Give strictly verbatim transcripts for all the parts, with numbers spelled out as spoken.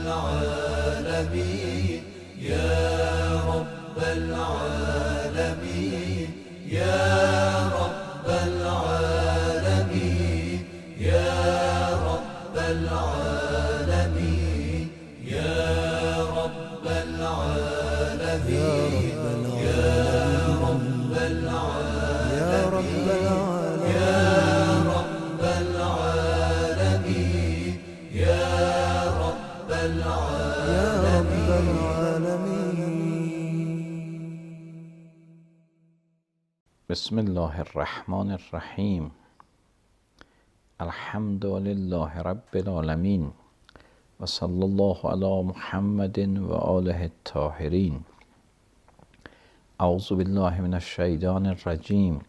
العالمين يا رب العالمين يا رب العالمين يا رب العالمين يا رب العالمين يا رب العالمين يا رب العالمين يا رب العالمين. بسم الله الرحمن الرحیم. الحمد لله رب العالمین و صلی الله علی محمد و آله الطاهرین. اعوذ بالله من الشیطان الرجیم.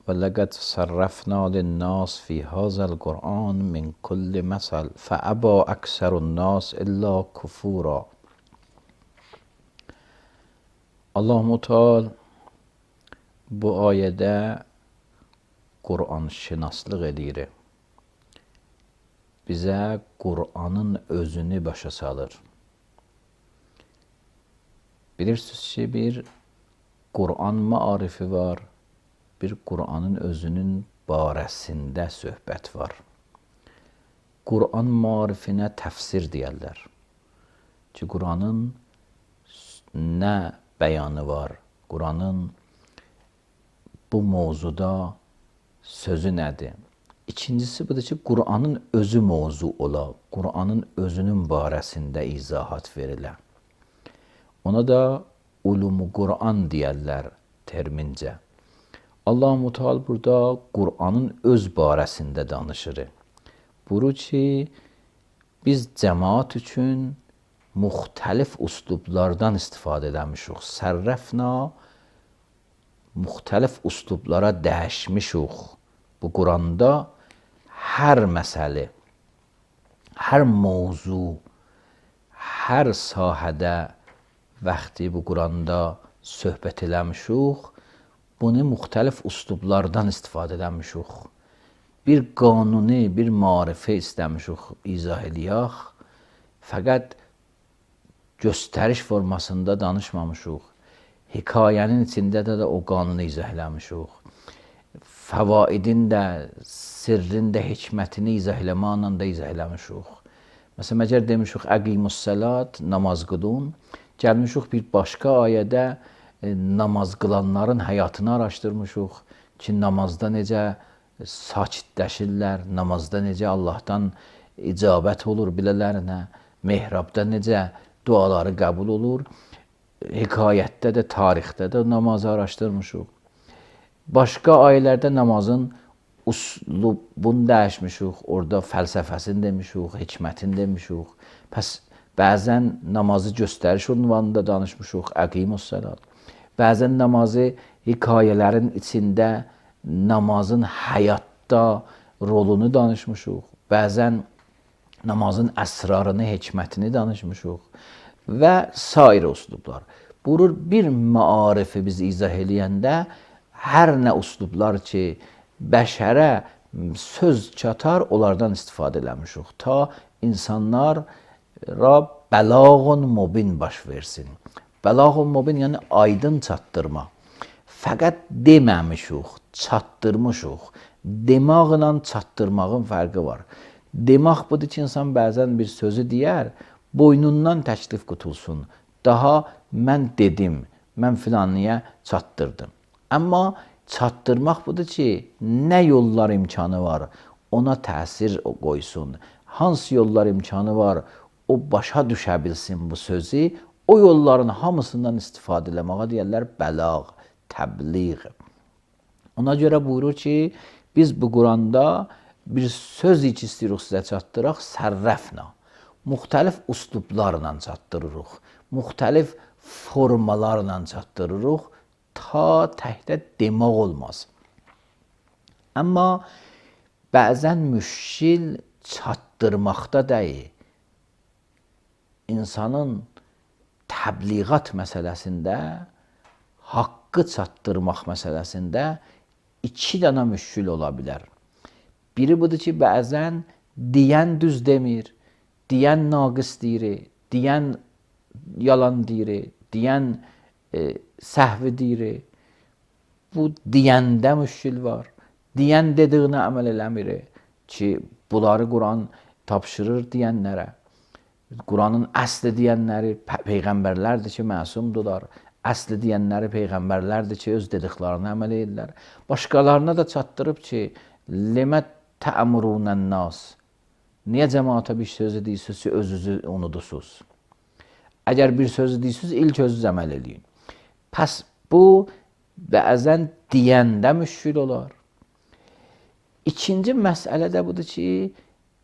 ولقد صرفنا للناس في هذا القرآن من كل مثل فأبى أكثر الناس إلا كفورا. Allah Teala bu ayədə Qur'an şinaslıq edir. Bizə Qur'anın özünü başa salır. Bilirsiniz ki, bir Qur'an maarifi var, bir Qur'anın özünün barəsində söhbət var. Qur'an maarifinə təfsir deyərlər ki, Qur'anın nə bəyanı var, Qur'anın bu mövzuda sözü nədir? İkincisi budur ki, Qur'anın özü mövzu ola, Qur'anın özünün barəsində izahat verilə. Ona da ulumu Qur'an deyərlər termincə. Allah-u Teala burada Qur'anın öz barəsində danışır. Buyurur ki, biz cəmaat üçün müxtəlif üslublardan istifadə eləmişik. Sərrəfna müxtəlif üslublara dəyişmişik. Bu Qur'anda hər məsələ, hər mövzu, hər sahədə vaxtı bu Qur'anda söhbət eləmişik. Bunu müxtəlif üslublardan istifadə eləmişik. Bir qanuni, bir marifə istəmişik, izah eləyək. Fəqət göstəriş formasında danışmamışıq. Hekayənin içində də, də o qanunu izah eləmişik. Fəvaidin də, sirrin də, hikmətini izah eləməklə də izah eləmişik. Məsələn, məgər demişik, əqimussəlat, namaz qılın. Gəlmişik bir başqa ayədə namaz qılanların həyatını araşdırmışıq ki, namazda necə sakitləşirlər, namazda necə Allahdan icabət olur bilələrinə, mehrabda necə duaları qəbul olur, hekayətdə də, tarixdə də namazı araşdırmışıq. Başqa ayələrdə namazın uslubunu dəyişmişik, orada fəlsəfəsini demişik, hikmətini demişik. Pəs bəzən namazı göstəriş ünvanında danışmışıq, əqimussəlat. Bəzən namazı hekayələrin içində namazın həyatda rolunu danışmışıq. Bəzən namazın əsrarını, hikmətini danışmışıq və sair üslublar. Buyurur, bir maarifi biz izah eləyəndə hər nə üslublar ki, bəşərə söz çatar, onlardan istifadə eləmişik. Ta insanlara bəlağun mubin baş versin. Bəlağun mubin yəni aydın çatdırma. Fəqət deməmişik, çatdırmışıq. Demaqla çatdırmağın fərqi var. Demaq budur ki, insan bəzən bir sözü deyər, boynundan təklif qutulsun. Daha mən dedim, mən filanlıya çatdırdım. Amma çatdırmaq budur ki, nə yollar imkanı var, ona təsir qoysun. Hansı yollar imkanı var, o başa düşə bilsin bu sözü, o yolların hamısından istifadə eləməyə deyərlər bəlağ, təbliğ. Ona görə buyurur ki, biz bu Quranda bir söz ki istəyirik sizə çatdıraq, sərrəfna. Müxtəlif üslublarla çatdırırıq, müxtəlif formalarla çatdırırıq, ta təhdə demək olmaz. Amma bəzən müşkil çatdırmaqda deyil. İnsanın təbliğat məsələsində, haqqı çatdırmaq məsələsində iki dənə müşkil ola bilər. Biri budur ki, bəzən deyən düz demir, deyən naqis deyir, deyən yalan deyir, deyən e, səhvi deyir. Bu deyəndə müşkil var. Deyən dediyinə əməl eləmir ki, bunları Quran tapşırır deyənlərə. Quranın əsli deyənləri peyğəmbərlərdir ki, məsumdular. Əsli deyənləri peyğəmbərlərdir ki, öz dediklərinə əməl edirlər. Başqalarına da çatdırıb ki, limə tə'murunən nas. Niyə cəmaata bir sözü deyirsiniz ki, özünüzü unudursuz? Əgər bir sözü deyirsiniz, ilk özünüz əməl edin. Pəs bu bəzən deyəndə müşkil olar. İkinci məsələ də budur ki,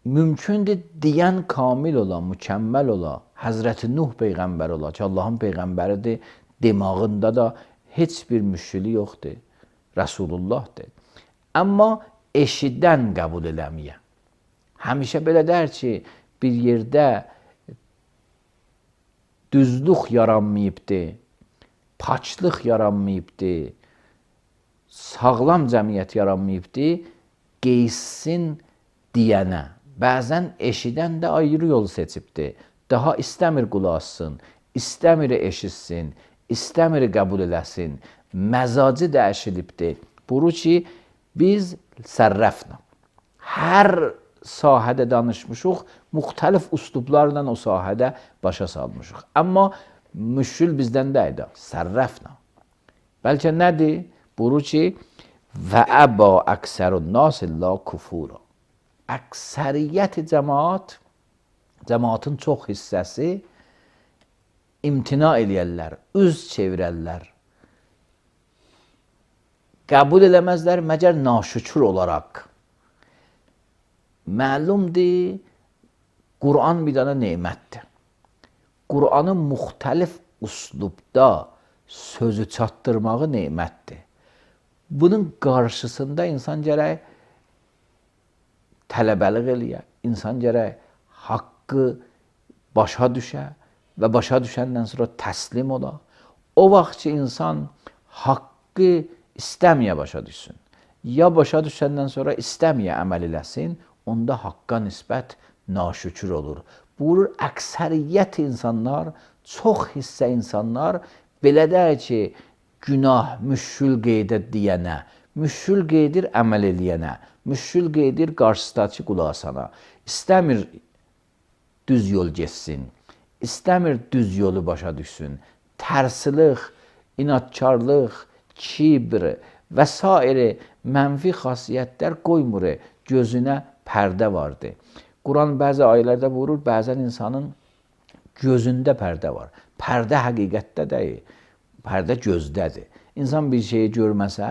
mümkündür deyən kamil ola, mükəmməl ola, Həzrəti Nuh peyğəmbər ola ki, Allahın peyğəmbəridir, demağında da heç bir müşkili yoxdur, Rəsulullahdır. Amma eşidən qəbul eləməyə. Həmişə belə dər ki, bir yerdə düzlük yaranmayıbdır, paçlıq yaranmayıbdır, sağlam cəmiyyət yaranmayıbdır, qeysin deyənə. Bəzən eşidən də ayrı yol seçibdir. Daha istəmir qulaq assın, istəmir eşitsin, istəmir qəbul eləsin. Məzacı dəyişilibdir. Buru ki, biz sərrəflə. Hər sahədə danışmışıq, müxtəlif üslublarla o sahədə başa salmışıq. Amma müşkül bizdən deyil, sərrəflə. Bəlkə nədir? Buru ki, və əba əksərun nas illə kufura. Əksəriyyət cəmaat, cəmaatın çox hissəsi imtina eləyərlər, üz çevirərlər. Qəbul eləməzlər məgər naşükür olaraq. Məlumdur, Quran bir dənə nemətdir. Quranın müxtəlif üslubda sözü çatdırmağı nemətdir. Bunun qarşısında insan gərək tələbəlik eləyə, insan gərək haqqı başa düşə və başa düşəndən sonra təslim ola. O vaxt ki, insan haqqı istəməyə başa düşsün, ya başa düşəndən sonra istəməyə əməl eləsin, onda haqqa nisbət naşükür olur. Buyurur, əksəriyyət insanlar, çox hissə insanlar belə deyir ki, günah müşkül qeydə deyənə, müşkül qeydir əməl eləyənə, müşkül qeydir qarşısındakı qulaq asana. İstəmir düz yol geçsin, istəmir düz yolu başa düşsün. Tərsilik, inatkarlıq, kibr və s. mənfi xasiyyətlər qoymur, gözünə pərdə vardır. Quran bəzi ayələrdə buyurur, bəzən insanın gözündə pərdə var. Pərdə həqiqətdə deyil, pərdə gözdədir. İnsan bir şeyi görməsə,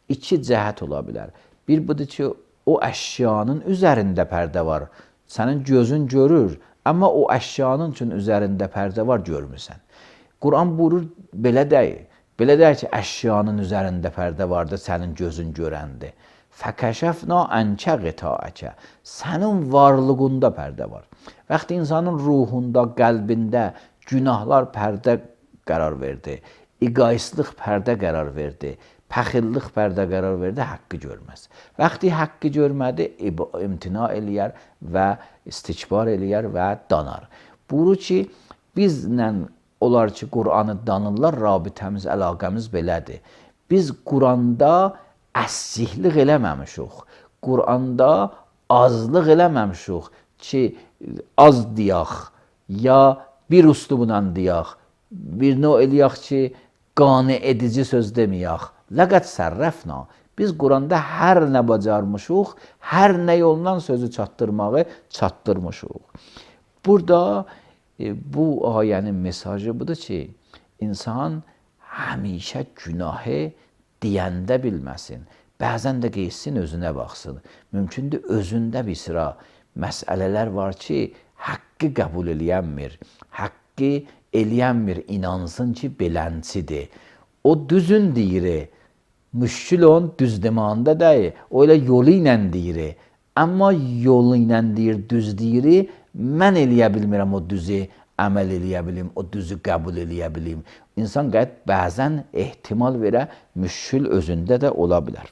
iki cəhət ola bilər. Bir budur ki, o əşyanın üzərində pərdə var. Sənin gözün görür, amma o əşyanın üçün üzərində pərdə var, görmürsən. Quran buyurur, belə deyil. Belə deyil ki, əşyanın üzərində pərdə vardır, sənin gözün görəndir. Fəkəşəfna ənkə qitaəkə. Sənin varlığında pərdə var. Vaxtı insanın ruhunda, qəlbində günahlar pərdə qərar verdi, egoistlıq pərdə qərar verdi, pəxillik pərdə qərar verdi, haqqı görməz. Vaxtı haqqı görmədi, imtina eləyər və istikbar eləyər və danar. Buyurur ki, bizlə olar ki, Quranı danırlar, rabitəmiz, əlaqəmiz belədir. Biz Quranda əsihlik eləməmişik. Quranda azlıq eləməmişik ki, az deyək, ya bir üslubla deyək, bir növ eləyək ki, qane edici söz deməyək. Ləqət sərrəfna. Biz Quranda hər nə bacarmışıq, hər nə yolla sözü çatdırmağı çatdırmışıq. Burada e, bu ayənin mesajı budur ki, insan həmişə günahı deyəndə bilməsin. Bəzən də qeysin özünə baxsın. Mümkündür özündə bir sıra məsələlər var ki, haqqı qəbul eləyənmir. Haqqı eləyənmir, inansın ki, belənçidir. O düzün deyir, müşkül on düz demanda deyir. O elə yolu ilə deyir. Amma yolu ilə deyir, düz deyir. Mən eləyə bilmirəm o düzü əməl eləyə bilim, o düzü qəbul eləyə bilim. İnsan qəd bəzən ehtimal verə, müşkül özündə də ola bilər.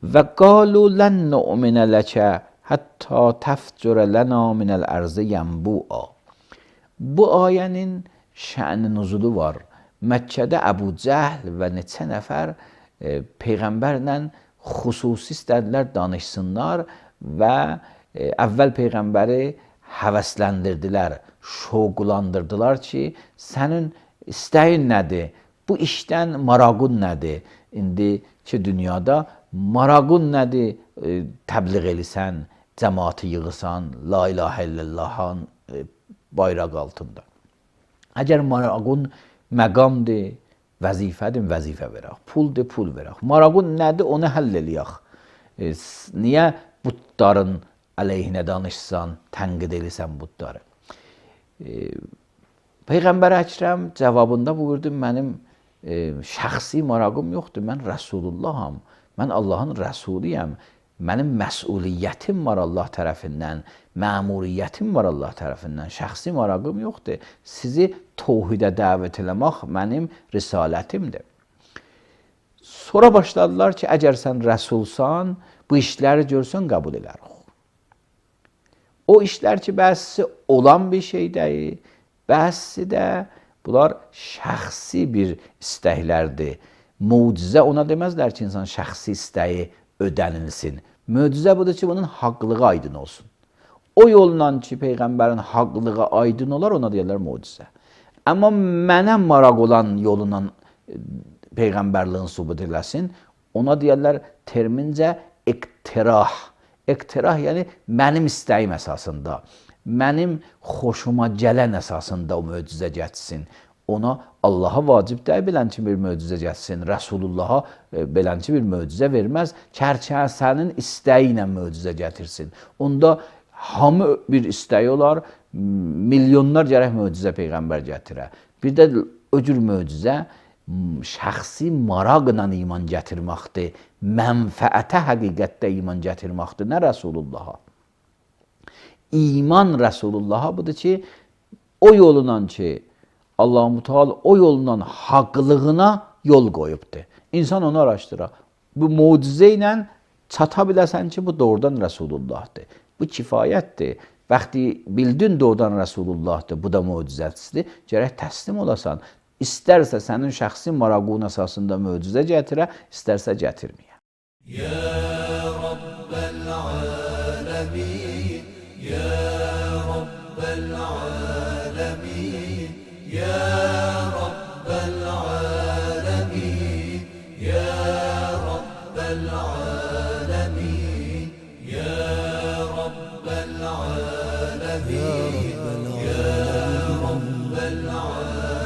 Və qalu lən nu'minə ləkə Hətta təfcürə lənə minəl ərzə yənbu'a. Bu ayənin şə'n-i nuzulu var. Məkkədə Əbu Cəhl və neçə nəfər e, Peyğəmbərlə xüsusi istədilər danışsınlar və e, əvvəl Peyğəmbəri həvəsləndirdilər, şoqlandırdılar ki, sənin istəyin nədir? Bu işdən maraqun nədir? İndiki dünyada maraqun nədir? E, təbliğ elisən, cəmaatı yığısan, la ilahə illallahın e, bayraq altında. Əgər maraqun məqamdır, vəzifədir, vəzifə verək. Puldur, pul verək. Maraqun nədir? Onu həll eləyək. E, niyə butların əleyhinə danışsan, tənqid elisən butları? E, Peyğəmbər Əkrəm cavabında buyurdu, mənim e, şəxsi maraqım yoxdur, mən Rəsulullaham, mən Allahın Rəsuluyəm, mənim məsuliyyətim var Allah tərəfindən, məmuriyyətim var Allah tərəfindən, şəxsi maraqım yoxdur. Sizi təvhidə dəvət eləmək mənim risalətimdir. Sonra başladılar ki, əgər sən rəsulsan, bu işləri görsən qəbul edərik. O işlər ki, bəzisi olan bir şey deyil, bəzisi də bunlar şəxsi bir istəklərdir. Mucizə ona deməzlər ki, insan şəxsi istəyi ödənilsin. Möcüzə budur ki, bunun haqlığı aydın olsun. O yolla ki, Peyğəmbərin haqlığı aydın olar, ona deyirlər mucizə. Amma mənə maraq olan yolundan Peyğəmbərliğin sübut eləsin, ona deyirlər termincə iqtirah. İqtirah yəni mənim istəyim əsasında, mənim xoşuma gələn əsasında o möcüzə getsin. Ona Allaha vacib deyil belənçi bir möcüzə getsin. Rəsulullaha belənçi bir möcüzə verməz. Kərkəsənin istəyi ilə möcüzə gətirsin. Onda hamı bir istəyi olar, milyonlar gərək möcüzə Peyğəmbər gətirə. Bir də o cür möcüzə şəxsi maraqla iman gətirməkdir. Mənfəətə həqiqətdə iman gətirməkdir. Nə Rəsulullaha? İman Rəsulullaha budur ki, o yolundan ki, Allah-u Teala o yolundan haqlığına yol qoyubdur. İnsan onu araşdırar. Bu mucizə ilə çata biləsən ki, bu doğrudan Rəsulullahdır. Bu kifayətdir. Vaxtı bildin doğrudan Rəsulullahdır, bu da mucizəsidir. Gərək təslim olasan. İstərsə sənin şəxsi maraqun əsasında möcüzə gətirə, istərsə gətirməyə. Ya Rabbəl aləmin, Ya Rabbəl aləmin, Ya Rabbəl aləmin, Ya Rabbəl aləmin, Ya Rabbəl aləmin, Ya Rabbəl aləmin.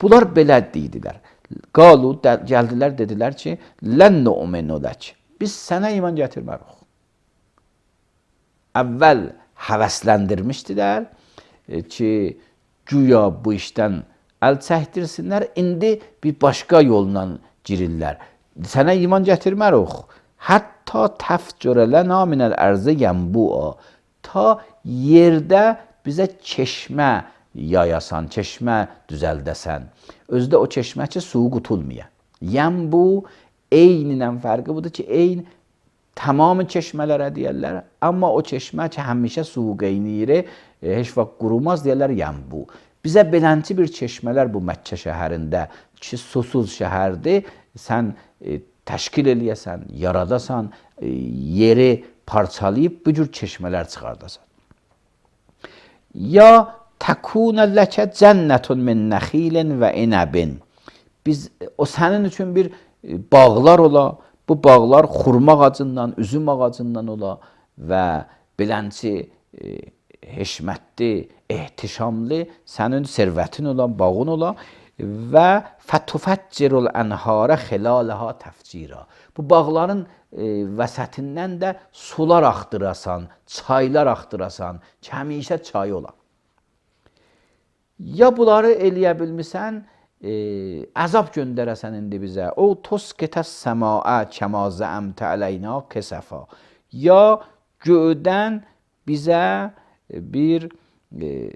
Bunlar belə dedilər. Qalu, gəldilər, dedilər ki, lən nu'minu lək. Biz sənə iman gətirmərik. Əvvəl həvəsləndirmişdilər ki, güya bu işdən əl çəkdirsinlər, indi bir başqa yolla girirlər. Sənə iman gətirmərik. Hətta təfcürə lənə minəl ərzə yənbu'a. Ta yerdə bizə çeşmə yayasan, çeşmə düzəldəsən. Özdə o çeşmə ki, suyu qutulmaya. Yənbu, eynindən fərqi budur ki, eyn tamamı çeşmələrə deyərlər. Amma o çeşmə ki, həmişə suyu qeyniyir, heç vaxt qurumaz deyərlər yənbu. Bizə belənçi bir çeşmələr bu Məkkə şəhərində ki, susuz şəhərdir. Sən e, təşkil eləyəsən, yaradasan, e, yeri parçalayıb bu cür çeşmələr çıxardasan. Ya təkunə ləkə cənnətun min nəxilin və inəbin. Biz, o sənin üçün bir bağlar ola, bu bağlar xurma ağacından, üzüm ağacından ola və belənçi e, heşmətli, ehtişamlı sənin servətin ola, bağın ola və fətufəccirul ənharə xilalaha təfcira. Bu bağların e, vəsətindən də sular axtırasan, çaylar axtırasan, ki, həmişə çay ola. Ya bunları eləyə bilmirsən, e, əzab göndərəsən indi bizə. O tosketəs səmaə kəmazə əmtə əleyna kəsəfa. Ya göydən bizə bir e,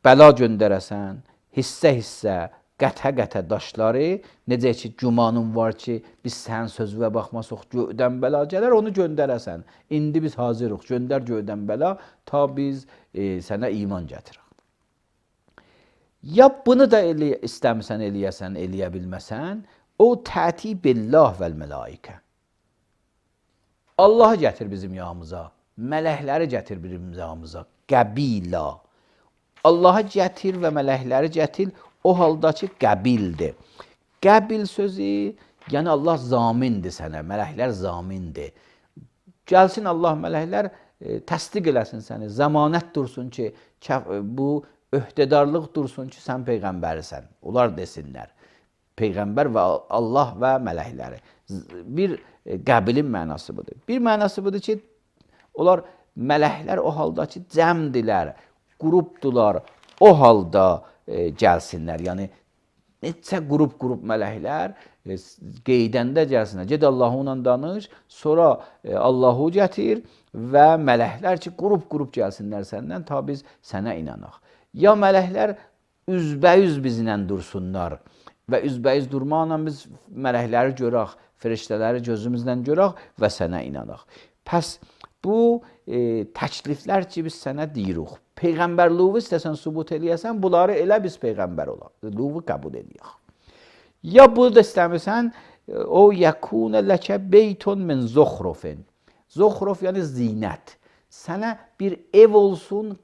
bəla göndərəsən, hissə-hissə, qətə-qətə daşları, necə ki, gümanın var ki, biz sənin sözünə baxmasaq göydən bəla gələr, onu göndərəsən. İndi biz hazırıq, göndər göydən bəla, ta biz e, sənə iman gətirək. Ya bunu da elə, istəmirsən, eləyəsən, eləyə bilməsən, o təti billah vəl mələikə. Allahı gətir bizim yanımıza, mələkləri gətir bizim yanımıza, qəbila. Allahı gətir və mələkləri gətir, o halda ki, qəbildir. Qəbil sözü, yəni Allah zamindir sənə, mələklər zamindir. Gəlsin Allah, mələklər e, təsdiq eləsin səni, zəmanət dursun ki, bu öhdədarlıq dursun ki, sən peyğəmbərisən. Onlar desinlər. Peyğəmbər və Allah və mələkləri. Bir e, qəbilin mənası budur. Bir mənası budur ki, onlar mələklər o halda ki, cəmdilər, qrupdular, o halda e, gəlsinlər. Yəni, neçə qrup-qrup mələklər e, qeydəndə gəlsinlər. Ged Allahı ilə danış, sonra e, Allahı gətir və mələklər ki, qrup-qrup gəlsinlər səndən, ta biz sənə inanaq. Ya mələklər üzbəüz bizlə dursunlar və üzbəüz durmaqla biz mələkləri görək, firiştələri gözümüzdən görək və sənə inanaq. Pəs bu e, təkliflər ki, biz sənə deyirik. Peyğəmbərluğu istəsən sübut eləyəsən, bunları elə biz peyğəmbər olaq. Luğu qəbul eləyək. Ya bunu da istəmirsən, o yəkun ləkə beytun min zuxrufin. Zuxruf yəni zinət. Sənə bir ev olsun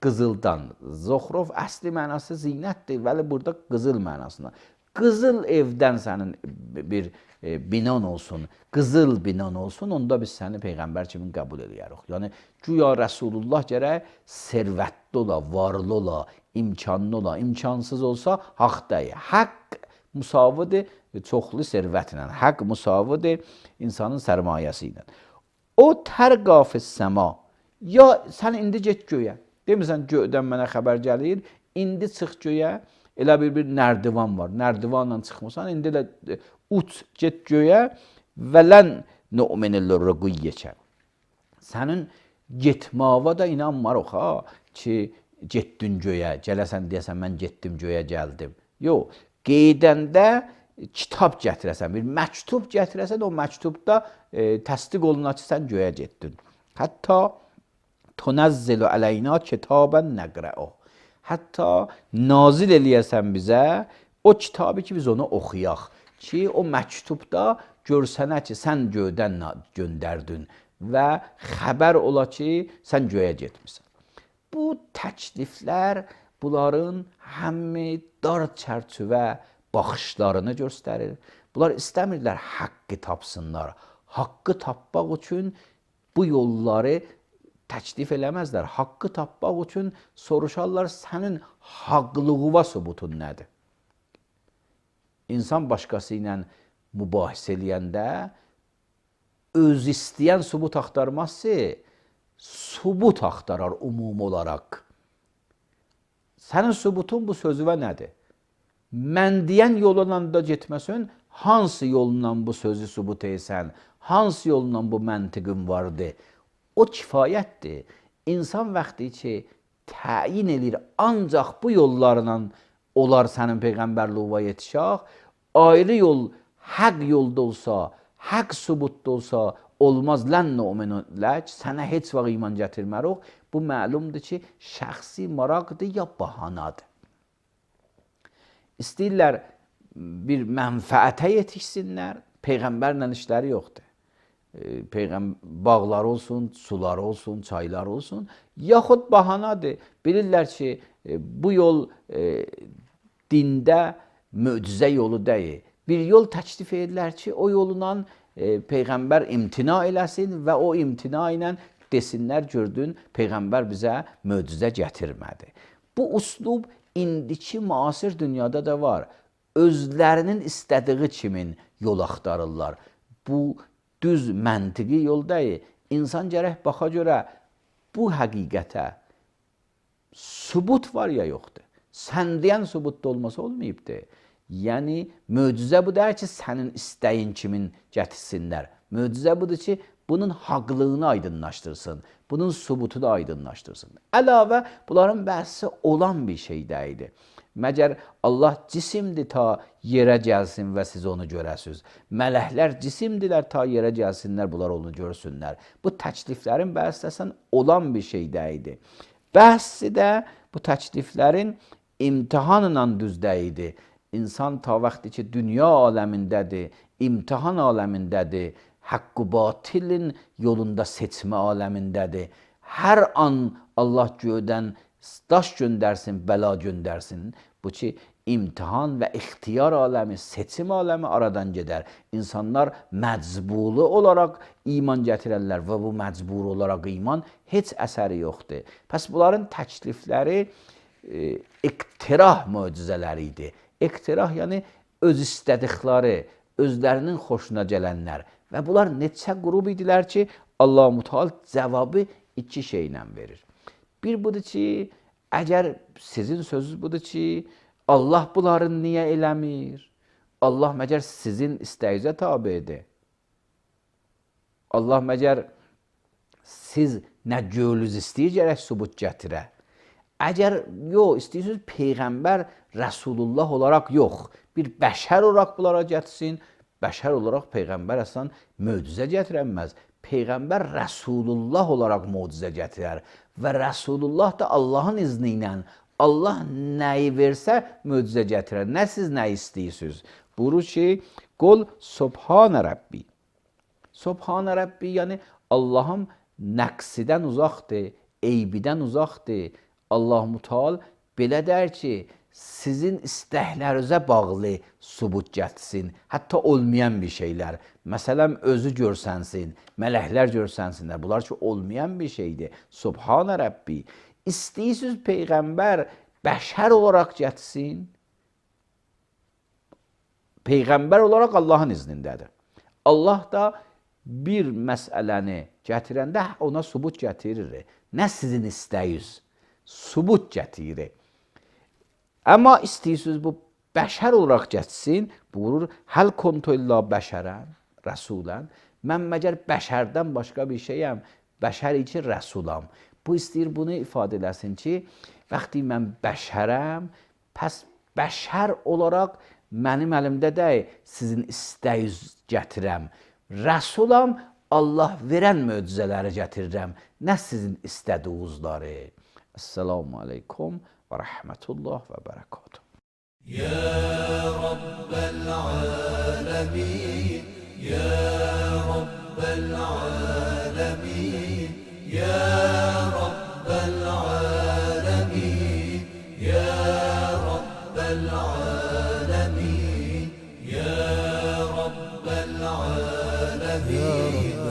qızıldan. Zuxruf əsli mənası zinətdir, vəli burada qızıl mənasında. Qızıl evdən sənin bir e, binan olsun, qızıl binan olsun, onda biz səni peyğəmbər kimi qəbul edərik. Yəni, güya Rəsulullah gərək servətli ola, varlı ola, imkanlı ola, imkansız olsa haqq deyil. Haqq müsavidir çoxlu servətlə, haqq müsavidir insanın sərmayəsi ilə. O tərqafı səma, ya sən indi get göyə, demirsən göydən mənə xəbər gəlir, indi çıx göyə, elə bir bir nərdivan var, nərdivanla çıxmısan, indi elə uç, get göyə və lən nu'minillir rüqüyyəkə. Sənin getmava da inanmarıq ha, ki, getdin göyə, gələsən deyəsən, mən getdim göyə, gəldim. Yox, qeydəndə kitab gətirəsən, bir məktub gətirəsən, o məktubda e, təsdiq oluna ki, sən göyə getdin. Hətta tunəzzilu əleyna kitabən nəqrə'o. Hətta nazil eləyəsən bizə o kitabı ki, biz onu oxuyaq. Ki, o məktubda görsənə ki, sən göydən göndərdin və xəbər ola ki, sən göyə getmirsən. Bu təkliflər, bunların həmi dar çərçivə baxışlarını göstərir. Bunlar istəmirlər haqqı tapsınlar. Haqqı tapmaq üçün bu yolları təklif eləməzlər. Haqqı tapmaq üçün soruşarlar, sənin haqlığıva sübutun nədir? İnsan başqası ilə mübahisə eləyəndə öz istəyən sübut axtarmazsa, sübut axtarar umum olaraq. Sənin sübutun bu sözüvə nədir? Mən deyən yolunla da getməsən, hansı yolla bu sözü sübut etsən, hansı yolla bu məntiqin vardır? O kifayətdir. İnsan vaxtı ki, təyin edir, ancaq bu yollarla olar sənin peyğəmbərluğa yetişək, ayrı yol, həq yolda olsa, həq sübutda olsa, olmaz lən nu'minu lək, sənə heç vaxt iman gətirmərik. Bu məlumdur ki, şəxsi maraqdır ya bahanadır. İstəyirlər bir mənfəətə yetişsinlər, peyğəmbərlə işləri yoxdur. Peyğəmbər bağları olsun, suları olsun, çayları olsun, yaxud bahanadır. Bilirlər ki, bu yol e, dində möcüzə yolu deyil. Bir yol təklif edirlər ki, o yolundan e, Peyğəmbər imtina eləsin və o imtina ilə desinlər, gördün, Peyğəmbər bizə möcüzə gətirmədi. Bu uslub indiki müasir dünyada da var. Özlərinin istədiyi kimin yol axtarırlar. Bu düz məntiqi yol deyil. İnsan gərək baxa görə bu həqiqətə sübut var ya yoxdur. Sən deyən sübutda olmasa olmayıbdır. Yəni, möcüzə bu deyir ki, sənin istəyin kimin gətirsinlər. Möcüzə budur ki, bunun haqlığını aydınlaşdırsın, bunun subutunu aydınlaşdırsın. Əlavə, bunların bəhsi olan bir şey deyildi. Məgər Allah cisimdir ta yerə gəlsin və siz onu görəsiniz. Mələklər cisimdirlər ta yerə gəlsinlər, bunlar onu görsünlər. Bu təkliflərin bəhsləsən olan bir şey deyildi. Bəhsi də bu təkliflərin imtihanla düzdəydi. İnsan ta vaxtı ki, dünya aləmindədir, imtihan aləmindədir, haqqı batilin yolunda seçmə aləmindədir. Hər an Allah göydən daş göndərsin, bəla göndərsin. Bu ki, imtihan və ixtiyar aləmi, seçim aləmi aradan gedər. İnsanlar məcburi olaraq iman gətirərlər və bu məcburi olaraq iman heç əsəri yoxdur. Pəs bunların təklifləri e, iqtirah möcüzələri idi. İqtirah yəni öz istədikləri, özlərinin xoşuna gələnlər. Və bunlar neçə qrup idilər ki, Allah-u Teala cavabı iki şeylə verir. Bir budur ki, əgər sizin sözünüz budur ki, Allah bunların niyə eləmir? Allah məgər sizin istəyinizə tabidir? Allah məgər siz nə gölünüz istəyir gərək sübut gətirə? Əgər yox, istəyirsiniz Peyğəmbər Rəsulullah olaraq yox, bir bəşər olaraq bunlara gətirsin, bəşər olaraq Peyğəmbər əslən möcüzə gətirənməz. Peyğəmbər Rəsulullah olaraq möcüzə gətirər və Rəsulullah da Allahın izni ilə Allah nəyi versə möcüzə gətirər. Nə siz nə istəyirsiniz? Buyurur ki, qul Subhanə Rəbbi. Subhanə Rəbbi yəni Allahım nəqsidən uzaqdır, eybidən uzaqdır. Allah-u Teala belə der ki, sizin istəklərinizə bağlı sübut gətirsin, hətta olmayan bir şeylər. Məsələn, özü görsənsin, mələklər görsənsinlər. Bunlar ki, olmayan bir şeydir. Subhanə Rəbbi. İstəyirsiniz Peyğəmbər bəşər olaraq gətirsin. Peyğəmbər olaraq Allahın iznindədir. Allah da bir məsələni gətirəndə ona sübut gətirir. Nə sizin istəyiniz? Sübut gətirir. Amma istəyirsiniz bu bəşər olaraq gətirsin, buyurur, həl kontu illa bəşərən, rəsulən. Mən məgər bəşərdən başqa bir şeyəm, bəşər için rəsulam. Bu istəyir bunu ifadə eləsin ki, vaxtı mən bəşərəm, pəs bəşər olaraq mənim əlimdə deyil, sizin istəyiniz gətirəm. Rəsulam, Allah verən möcüzələri gətirirəm, nə sizin istədiyinizləri. Esselamu aleykum və rəhmətullah və bərəkatuhu. Ya Rabbel alemin, Ya Rabbel alemin, Ya Rabbel alemin, Ya Rabbel alemin, Ya Rabbel alemin.